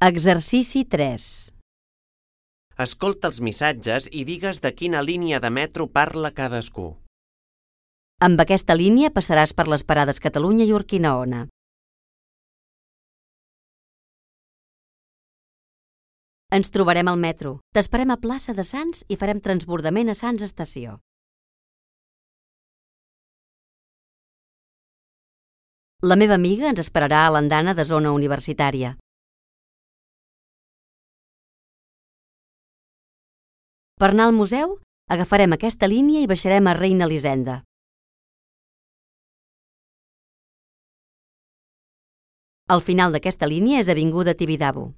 Exercici 3. Escolta els missatges i digues de quina línia de metro parla cadascú. Amb aquesta línia passaràs per les parades Catalunya i Urquinaona. Ens trobarem al metro. T'esperem a plaça de Sants i farem transbordament a Sants Estació. La meva amiga ens esperarà a l'andana de zona universitària. Per anar al museu, agafarem aquesta línia i baixarem a Reina Elisenda. Al final d'aquesta línia és Avinguda Tibidabo.